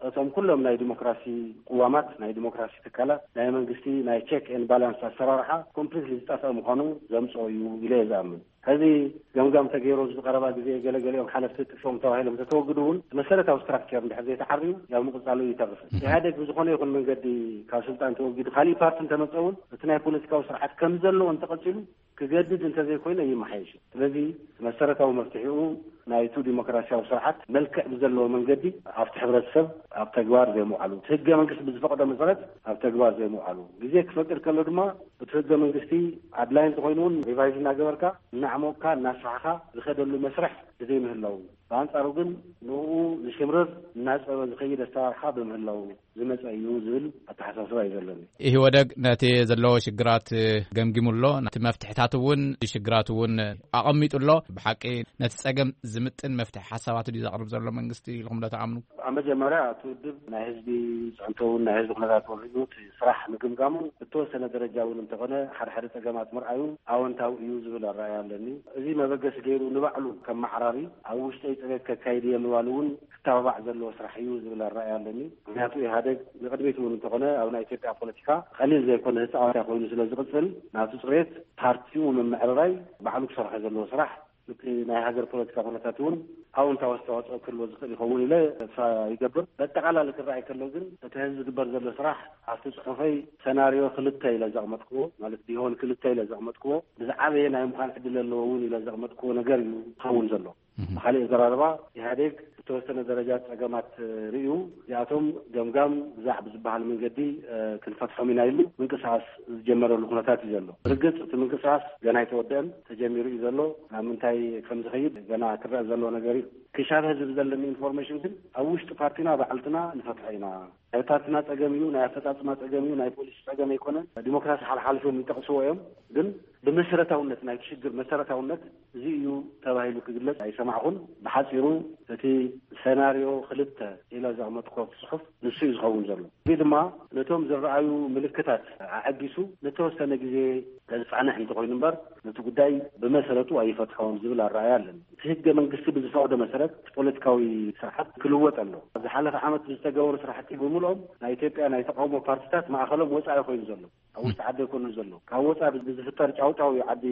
እቶም ኩሎም ናይ ዲሞክራሲ ቅዋማት ናይ ዲሞክራሲ ትካላት ናይ መንግስቲ ናይ ቸክ ኤን ባላንስ ኣሰራርሓ ኮምፕሊትሊ ዝጠፍአ ምዃኑ ዘምፅኦ እዩ ኢለ እየ ዝኣምን። ከዚ ገምጋም ተገይሩ ኣብዚ ቀረባ ግዜ ገለገሊኦም ሓለፍቲ ጥሾም ተባሂሎም ተተወግዱ እውን መሰረታዊ ስትራክቸር እንድሕር ዘይተዓርዩ ያው ምቕፃሉ ይተርፍ። ኢህኣዴግ ብዝኾነ ይኹን መንገዲ ካብ ስልጣን ተወጊዱ ካሊእ ፓርቲ እንተመፀ እውን እቲ ናይ ፖለቲካዊ ስርዓት ከም ዘለዎ እንተቐፂሉ ክገድድ እንተዘይኮይኑ ኣይመሓየሽ። ስለዚ መሰረታዊ መፍትሒኡ ናይቱ ዲሞክራሲያዊ ስርዓት መልክዕ ብዘለዎ መንገዲ ኣብቲ ሕብረተሰብ ኣብ ተግባር ዘይምውዓሉ፣ እቲ ህገ መንግስቲ ብዝፈቕዶ መሰረት ኣብ ተግባር ዘይምውዓሉ፣ ግዜ ክፈቅድ ከሎ ድማ እቲ ህገ መንግስቲ ኣድላይ እንተኾይኑ እውን ሪቫይዝ እናገበርካ እናዕሞቕካ እናስፋሕኻ ዝኸደሉ መስርሕ ብዘይምህላው፣ ብኣንጻሩ ግን ንኡ ዝሽምርር እናጸበ ዝኸይድ ኣሰራርሓ ብምህላው ዝመጸ እዩ ዝብል ኣተሓሳስባ እዩ ዘለኒ። ኢህወደግ ነቲ ዘለዎ ሽግራት ገምጊሙ ኣሎ። እቲ መፍትሕታት እውን ሽግራት እውን ኣቐሚጡ ኣሎ። ብሓቂ ነቲ ጸገም ዝምጥን መፍትሒ ሓሳባት ድዩ ዘቕርብ ዘሎ መንግስቲ ኢልኩም ዶ ትኣምኑ? ኣብ መጀመርያ እቲ ውድብ ናይ ህዝቢ ፅዕንቶውን ናይ ህዝቢ ኩነታት ወሪዱ እቲ ስራሕ ምግምጋሙ ብተወሰነ ደረጃ እውን እንተኾነ ሓደ ሓደ ጸገማት ምርኣዩ ኣወንታዊ እዩ ዝብል ኣረኣያ ኣለኒ። እዚ መበገሲ ገይሩ ንባዕሉ ከም ማዕራሪ ኣብ ውሽጠይ ፅሬት ከካይድ እየ ምባሉ እውን ክተባባዕ ዘለዎ ስራሕ እዩ ዝብል ኣረኣያ ኣለኒ። ምክንያቱ ኢህኣደግ ንቅድሚት እውን እንተኾነ ኣብ ናይ ኢትዮጵያ ፖለቲካ ቀሊል ዘይኮነ ተፃዋታይ ኮይኑ ስለ ዝቕፅል ናቱ ፅሬት ፓርቲኡ ንምምዕርራይ ባዕሉ ክሰርሖ ዘለዎ ስራሕ እቲ ናይ ሃገር ፖለቲካ ኩነታት እውን ኣውንታዊ ኣስተዋፅኦ ክህልዎ ዝኽእል ይኸውን ኢለ ተስፋ ይገብር። በጠቓላሊ ክረኣይ ከሎ ግን እቲ ሕዚ ዝግበር ዘሎ ስራሕ ኣብቲ ጽሑፈይ ሰናርዮ ክልተ ኢለ ዘቕመጥክዎ ማለት ቢሆን ክልተ ኢለ ዘቕመጥክዎ ብዝዓበየ ናይ ምዃን ዕድል ኣለዎ እውን ኢለ ዘቕመጥክዎ ነገር እዩ ዝኸውን ዘሎ። ብኻሊእ ኣዘራርባ ኢህኣዴግ ብተወሰነ ደረጃ ጸገማት ርእዩ እዚኣቶም ገምጋም ብዛዕ ብዝበሃል መንገዲ ክንፈትሖም ኢና ኢሉ ምንቅስቃስ ዝጀመረሉ ኩነታት እዩ ዘሎ። ርግጽ እቲ ምንቅስቃስ ገና ኣይተወደአን፣ ተጀሚሩ እዩ ዘሎ። ናብ ምንታይ ከም ዝኸይድ ገና ክረአ ዘሎ ነገር እዩ። ክሻብ ህዝቢ ዘለኒ ኢንፎርሜሽን ግን ኣብ ውሽጢ ፓርቲና ባዕልትና ንፈትሖ ኢና። ናይ ፓርቲና ጸገም እዩ፣ ናይ ኣፈጻጽማ ጸገም እዩ፣ ናይ ፖሊሲ ጸገም ኣይኮነን። ዲሞክራሲ ሓልሓልፎም ይጠቕስዎ እዮም፣ ግን ብመሰረታውነት ናይቲ ሽግር መሰረታውነት እዚ እዩ ተባሂሉ ክግለጽ ኣይሰማዕኹን። ብሓጺሩ እቲ ሰናርዮ ክልተ ኢለ ዘቕመጥኮ ጽሑፍ ንሱ እዩ ዝኸውን ዘሎ። እዚ ድማ ነቶም ዝረኣዩ ምልክታት ኣዐጊሱ ንተወሰነ ግዜ ከዝጻንሕ እንተኾይኑ እምበር ነቲ ጉዳይ ብመሰረቱ ኣይፈትሖን ዝብል ኣረኣያ ኣለኒ። እቲ ህገ መንግስቲ ብዝፈቕዶ መሰረት እቲ ፖለቲካዊ ስርዓት ክልወጥ ኣሎ። ኣብ ዝሓለፈ ዓመት ብዝተገበሩ ስራሕቲ ብምልኦም ናይ ኢትዮጵያ ናይ ተቃውሞ ፓርቲታት ማእኸሎም ወፃኢ ኮይኑ ዘሎ፣ ኣብ ውሽጢ ዓዲ ኣይኮኑን ዘሎ። ካብ ወፃኢ ብዝፍጠር ጫውጫው እዩ ዓዲ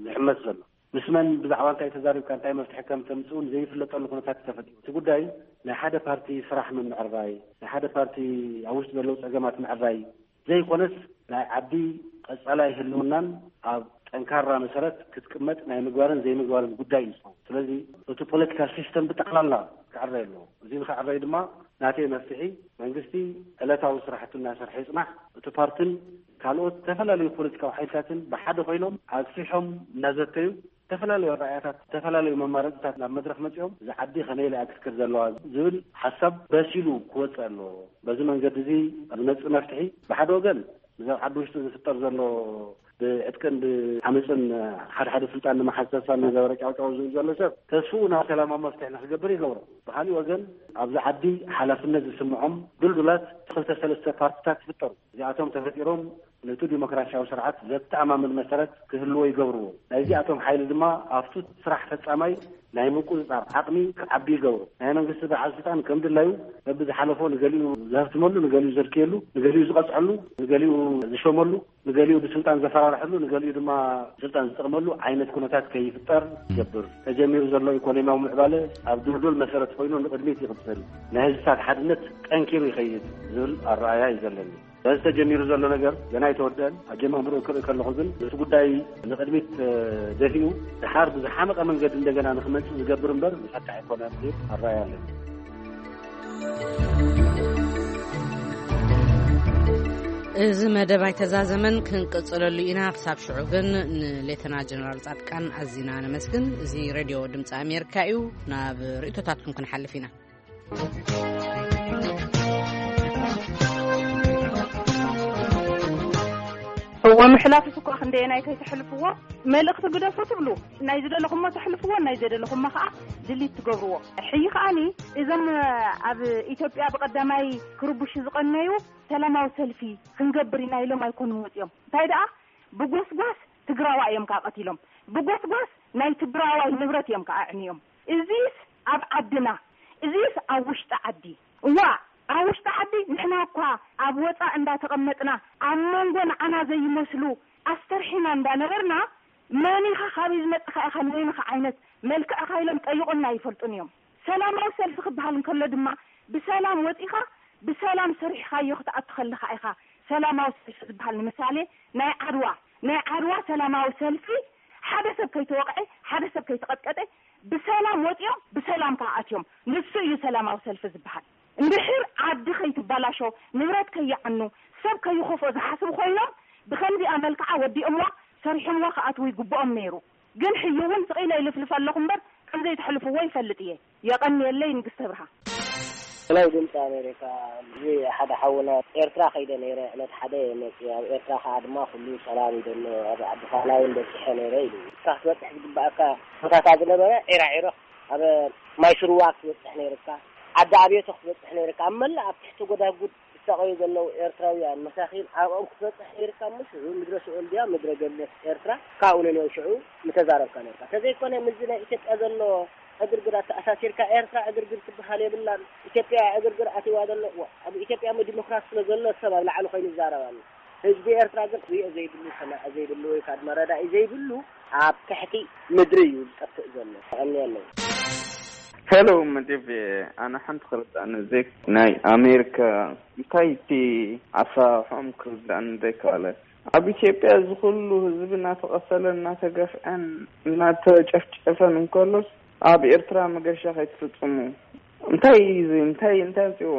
ዝሕመስ ዘሎ። ምስ መን ብዛዕባ እንታይ ተዛሪብካ እንታይ መፍትሒ ከም ተምፅእ እውን ዘይፍለጠሉ ኩነታት እዩ ተፈጢሩ። እቲ ጉዳይ ናይ ሓደ ፓርቲ ስራሕ ምምዕራይ፣ ናይ ሓደ ፓርቲ ኣብ ውሽጢ ዘለዉ ፀገማት ምዕራይ ዘይኮነስ ናይ ዓዲ ቀፃላይ ህልውናን ኣብ ጠንካራ መሰረት ክትቅመጥ ናይ ምግባርን ዘይምግባርን ጉዳይ እዩ ዝኸውን። ስለዚ እቲ ፖለቲካ ሲስተም ብጠቕላላ ክዕረይ ኣለዎ። እዚ ንክዕረይ ድማ ናተይ መፍትሒ መንግስቲ ዕለታዊ ስራሕቱ እናሰርሐ ይፅናሕ። እቲ ፓርትን ካልኦት ዝተፈላለዩ ፖለቲካዊ ሓይልታትን ብሓደ ኮይኖም ኣግፊሖም እናዘተዩ ዝተፈላለዩ ኣረኣያታት ዝተፈላለዩ መማረፅታት ናብ መድረክ መፂኦም እዚ ዓዲ ከመይ ኢላ እያ ክትከድ ዘለዋ ዝብል ሓሳብ በሲሉ ክወፅእ ኣለዎ። በዚ መንገዲ እዚ ዝመፅእ መፍትሒ ብሓደ ወገን እዚ ኣብ ዓዲ ውሽጢ ዝፍጠር ዘሎ ብዕጥቅን ብዓመፅን ሓደ ሓደ ስልጣን ንምሓዝ ተስፋ እናገበረ ጫውጫው ዝብል ዘሎ ሰብ ተስፍኡ ናብ ሰላማዊ መፍትሒ ንክገብር ይገብሮ። ብካሊእ ወገን ኣብዚ ዓዲ ሓላፍነት ዝስምዖም ድልዱላት ክልተ ሰለስተ ፓርቲታት ይፍጠሩ። እዚኣቶም ተፈጢሮም ነቲ ዲሞክራሲያዊ ስርዓት ዘተኣማምን መሰረት ክህልዎ ይገብርዎ። ናይዚኣቶም ሓይሊ ድማ ኣብቱ ስራሕ ፈጻማይ ናይ ምቁጽጻር ዓቕሚ ክዓቢ ይገብሮ። ናይ መንግስቲ በዓል ስልጣን ከም ድላዩ በብዝሓለፎ ንገሊኡ ዘህፍትመሉ፣ ንገሊኡ ዘድክየሉ፣ ንገሊኡ ዝቐጽዐሉ፣ ንገሊኡ ዝሸመሉ፣ ንገሊኡ ብስልጣን ዘፈራርሐሉ፣ ንገሊኡ ድማ ስልጣን ዝጠቕመሉ ዓይነት ኩነታት ከይፍጠር ይገብር። ተጀሚሩ ዘሎ ኢኮኖሚያዊ ምዕባለ ኣብ ድልዱል መሰረት ኮይኑ ንቕድሚት ይቕጽል። ናይ ህዝብታት ሓድነት ጠንኪሩ ይኸይድ ዝብል ኣረኣእያ እዩ ዘለኒ። በዚ ተጀሚሩ ዘሎ ነገር ገና ኣይተወደአን። ኣጀማምርኡ ክርኢ ከለኹ ግን እቲ ጉዳይ ንቕድሚት፣ እ፣ ደፊኡ ድሓር ብዝሓመቐ መንገዲ እንደገና ንኽመጽእ ዝገብር እምበር ዝፈትሕ ኣይኮነን ዝብል ኣረኣእያ ኣለኒ። እዚ መደብ ኣይተዛዘመን፣ ክንቅጽለሉ ኢና። ክሳብ ሽዑ ግን ንሌተና ጀነራል ጻድቃን ኣዚና ነመስግን። እዚ ሬድዮ ድምፂ ኣሜሪካ እዩ። ናብ ርእይቶታትኩም ክንሓልፍ ኢና። እወ፣ ምሕላፍስ እኳ ክንደየናይ ከይተሕልፍዎ፣ መልእኽቲ ግደፉ ትብሉ፣ ናይ ዝደለኹሞ ተሕልፍዎ፣ ናይ ዘደለኹሞ ከዓ ድሊት ትገብርዎ። ሕጂ ከዓኒ እዞም ኣብ ኢትዮጵያ ብቐዳማይ ክርብሹ ዝቐነዩ ሰላማዊ ሰልፊ ክንገብር ኢና ኢሎም ኣይኮኑን ወፂኦም። እንታይ ደኣ ብጎስጓስ ትግራዋ እዮም ከዓ ቀቲሎም። ብጎስጓስ ናይ ትግራዋይ ንብረት እዮም ከዓ ኣዕንዮም። እዚስ ኣብ ዓድና፣ እዚስ ኣብ ውሽጢ ዓዲ። እዋ፣ ኣብ ውሽጢ ዓዲ ንሕና እኳ ኣብ ወፃእ እንዳተቐመጥና ኣብ መንጎ ንዓና ዘይመስሉ ኣስተርሒና እንዳነበርና፣ መን ኢኻ፣ ካበይ ዝመፅኻ ኢኻ፣ ንበይንኻ ዓይነት መልክዕኻ ኢሎም ጠይቑና ኣይፈልጡን እዮም። ሰላማዊ ሰልፊ ክበሃል እንከሎ ድማ ብሰላም ወፂኻ ብሰላም ሰሪሕኻዮ ክትኣቱ ከለኻ ኢኻ ሰላማዊ ሰልፊ ዝበሃል። ንምሳሌ ናይ ዓድዋ፣ ናይ ዓድዋ ሰላማዊ ሰልፊ ሓደ ሰብ ከይተወቕዐ፣ ሓደ ሰብ ከይተቐጥቀጠ ብሰላም ወፂኦም ብሰላም ከዓ ኣትዮም። ንሱ እዩ ሰላማዊ ሰልፊ ዝበሃል። እንድሕር ዓዲ ከይትበላሾ፣ ንብረት ከይዓኑ፣ ሰብ ከይኸፍኦ ዝሓስቡ ኮይኖም ብኸምዚኣ መልክዓ ወዲኦምዋ ሰሪሖምዋ ክኣትዉ ይግብኦም ነይሩ። ግን ሕጂ እውን ስቕ ኢለ ይልፍልፍ ኣለኹ እምበር ከም ዘይትሕልፍዎ ይፈልጥ እየ። የቐንየለይ ንግስተ ብርሃ። ናይ ድምፂ ኣሜሪካ፣ እዚ ሓደ ሓውና ኤርትራ ከይደ ነይረ፣ ዕለት ሓደ መፅኡ። ኣብ ኤርትራ ከዓ ድማ ኩሉ ሰላም እዩ ዘሎ፣ ኣብ ዓዲ ፋላውን በፂሐ ነይረ ኢሉ። ንስኻ ክትበፅሕ ዝግባኣካ ቦታታት ዝነበረ ዒራ ዒሮ፣ ኣብ ማይ ስርዋ ክትበፅሕ ነይርካ፣ ዓዲ ኣብየቶ ክትበፅሕ ነይርካ። ኣብ መላእ ኣብ ትሕቲ ጎዳጉድ ዝሳቐዩ ዘለዉ ኤርትራውያን መሳኺን ኣብኦም ክትበፅሕ ነይርካ። እሞ ሽዑ ምድረ ሲኦል ድያ ምድረ ገነት ኤርትራ ካብኡ ነንዮ ሽዑ ምተዛረብካ ነይርካ። ተዘይኮነ ምስዚ ናይ ኢትዮጵያ ዘሎ ዕግርግር ኣተኣሳሲርካ፣ ኤርትራ ዕግርግር ትበሃል የብላን፣ ኢትዮጵያ ዕግርግር ኣትይዋ ዘሎ። ዋ፣ ኣብ ኢትዮጵያ እሞ ዲሞክራሲ ስለ ዘሎ ሰብ ኣብ ላዕሊ ኮይኑ ይዛረብ ኣሎ። ህዝቢ ኤርትራ ግን ክሪኦ ዘይብሉ፣ ሰማዒ ዘይብሉ ወይ ከዓ ድማ ረዳኢ ዘይብሉ ኣብ ትሕቲ ምድሪ እዩ ዝጠፍእ ዘሎ። ተቐንየ ኣለዉ። ሄሎ መዴቭ፣ ኣነ ሓንቲ ክርዳእኒ ዘይ ናይ ኣሜሪካ እንታይ እቲ ኣሰራርሖም ክርዳእኒ ዘይከኣለ። ኣብ ኢትዮጵያ እዚ ኩሉ ህዝቢ እናተቐተለ እናተገፍዐን እናተጨፍጨፈን እንከሎስ ኣብ ኤርትራ መገሻ ከይትፍጽሙ። እንታይ እዩ እዚ? እንታይ እንታይ ኣምፅዎ?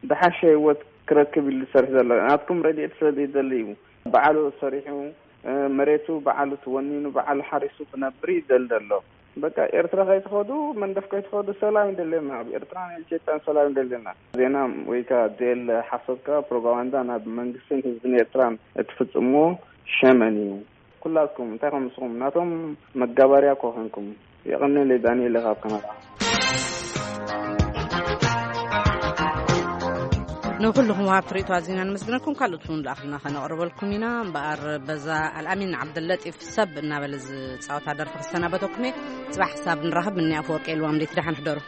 ዝሓሸ ህይወት ክረክብ ኢሉ ዝሰርሕ ዘሎ ናትኩም ረድኤት ስለ ዘይደሊ እዩ። ባዕሉ ሰሪሑ፣ እ፣ መሬቱ ባዕሉ ተወኒኑ ባዕሉ ሓሪሱ ክነብር እዩ ደል ዘሎ። በቃ ኤርትራ ከይትኸዱ፣ መንደፍ ከይትኸዱ፣ ሰላም ይደልየና። ኣብ ኤርትራን ኢትዮጵያን ሰላም ይደልየና። ዜና ወይ ከዓ ዜል ሓሶትካ ፕሮፓጋንዳ ናብ መንግስትን ህዝብን ኤርትራን እትፍጽምዎ ሸመን እዩ። ኩላትኩም እንታይ ከም ንስኹም ናቶም መጋበርያ እኮ ኮንኩም። የቐንየለይ ዳንኤል ካብ ካናዳ። ንኹልኹም ወሃብቲ ርእይቶ ኣዚና ነመስግነኩም። ካልኦት እውን ዝኣኽልና ከነቕርበልኩም ኢና። እምበኣር በዛ ኣልኣሚን ዓብደለጢፍ ሰብ እናበለ ዝፃወታ ደርፊ ክሰናበተኩም እየ። ፅባሕ ክሳብ ንራኸብ፣ ምንያ ኣፈወርቂ የልዋም ደይቲ ደሓን ሕደሩ።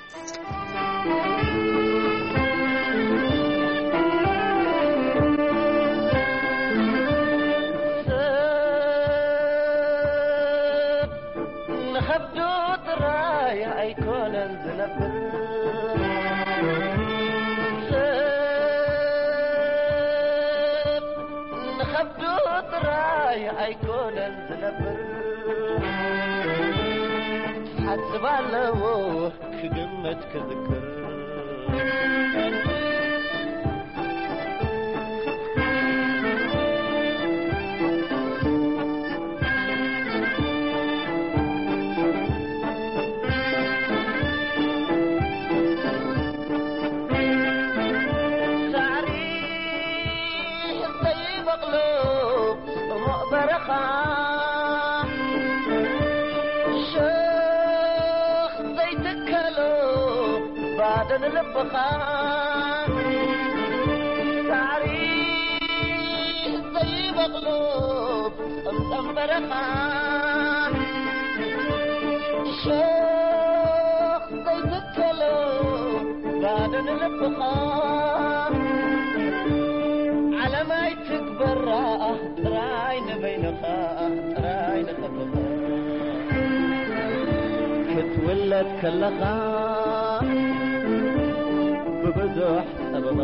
ንኸብዱ ጥራይ ኣይኮነን ዝነብር፣ ሰብ ንኸብዱ ጥራይ ኣይኮነን ዝነብር። ሓስብ ኣለዎ ክግምት ክዝክር። ሳዕሪ ዘይበቕሎ ጽሙቕ በረኻ፣ ሸኽ ዘይትከሎ ባዶ ንልብኻ። ሳዕሪ ዘይበቕሎ ጸምጸም በረኻ፣ ሸኽ ልብኻ ዓለም ኣይትግበራ፣ ጥራይ ንበይንኻ፣ ጥራይ ንኸብኻ። ክትውለድ ከለኻ ብብዙሕ ጸበባ፣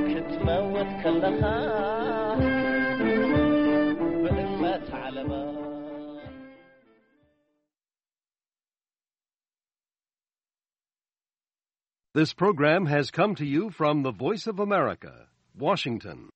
ክትመውት ከለኻ ብእመት ዓለባ። This program has come to you from the Voice of America, Washington.